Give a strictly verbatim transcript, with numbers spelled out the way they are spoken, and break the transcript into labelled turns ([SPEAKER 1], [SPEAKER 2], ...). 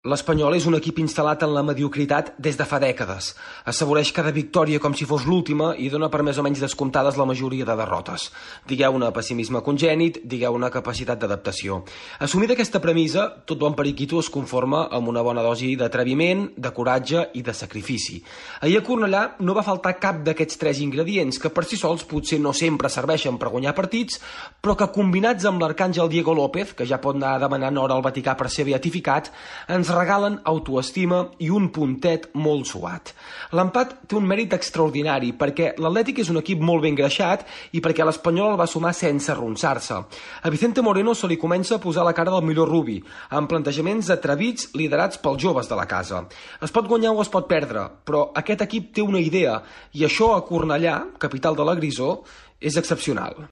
[SPEAKER 1] L'Espanyol és un equip instal·lat en la mediocritat des de fa dècades. Assaboreix cada victòria com si fos l'última i dona per més o menys descomptades la majoria de derrotes. Digueu-ne pessimisme congènit, digueu-ne capacitat d'adaptació. Assumida aquesta premissa, tot bon periquito es conforma amb una bona dosi d'atreviment, de coratge i de sacrifici. Ahir a Cornellà no va faltar cap d'aquests tres ingredients que per si sols potser no sempre serveixen per guanyar partits, però que combinats amb l'arcàngel Diego López, que ja pot anar demanant hora al Vaticà per ser beatificat, ens regalen autoestima i un puntet molt suat. L'empat té un mèrit extraordinari perquè l'Atlètic és un equip molt ben greixat i perquè l'Espanyol el va sumar sense arronsar-se. A Vicente Moreno se li comença a posar la cara del millor Rubi, amb plantejaments atrevits liderats pels joves de la casa. Es pot guanyar o es pot perdre, però aquest equip té una idea i això a Cornellà, capital de la Grisó, és excepcional.